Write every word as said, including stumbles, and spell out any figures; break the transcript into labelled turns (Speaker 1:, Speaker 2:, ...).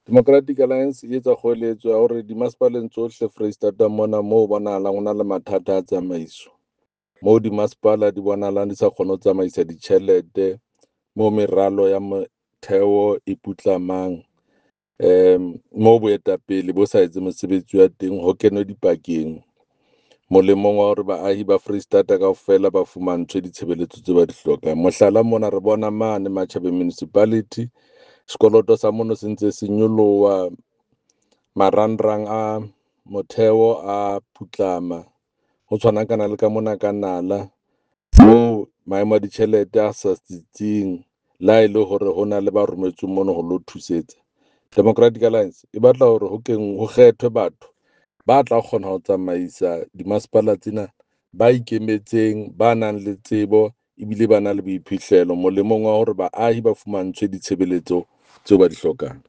Speaker 1: Democratic Alliance e etsa kgoeletso ya hore dimasepaleng tsohle Foreisetata mona moo bonahalang ho na le mathata a tsamaiso, moo dimasepala di bonahalang di sa kgone ho tsamaisa ditjhelete, moo meralo ya motheo e putlamang, um moo boetapele bo sa etse mosebetsi wa teng, ho kenwe dipakeng molemong wa hore baahi ba Foreisetata kaofela ba fumantshwe ditshebeletso tse ba di hlokang. Mohlala mona re bona mane Matjhabeng Municipality sekoloto sa mono se ntse se nyoloha, marangrang a motheo a putlama, ho tshwanakana le ka mona ka Nala moo maemo a ditjhelete a sa tsitsing le ha e le hore ho na le ba rometsweng mono ho lo thusetsa. Democratic Alliance e batla hore ho keng ho kgethwe batho ba tla kgona ho tsamaisa dimasepala tsena, ba ikemetseng, ba nang le tsebo ebile ba na le boiphihlelo molemong wa hore baahi ba fumantshwe ditshebeletso tseo ba di hlokang.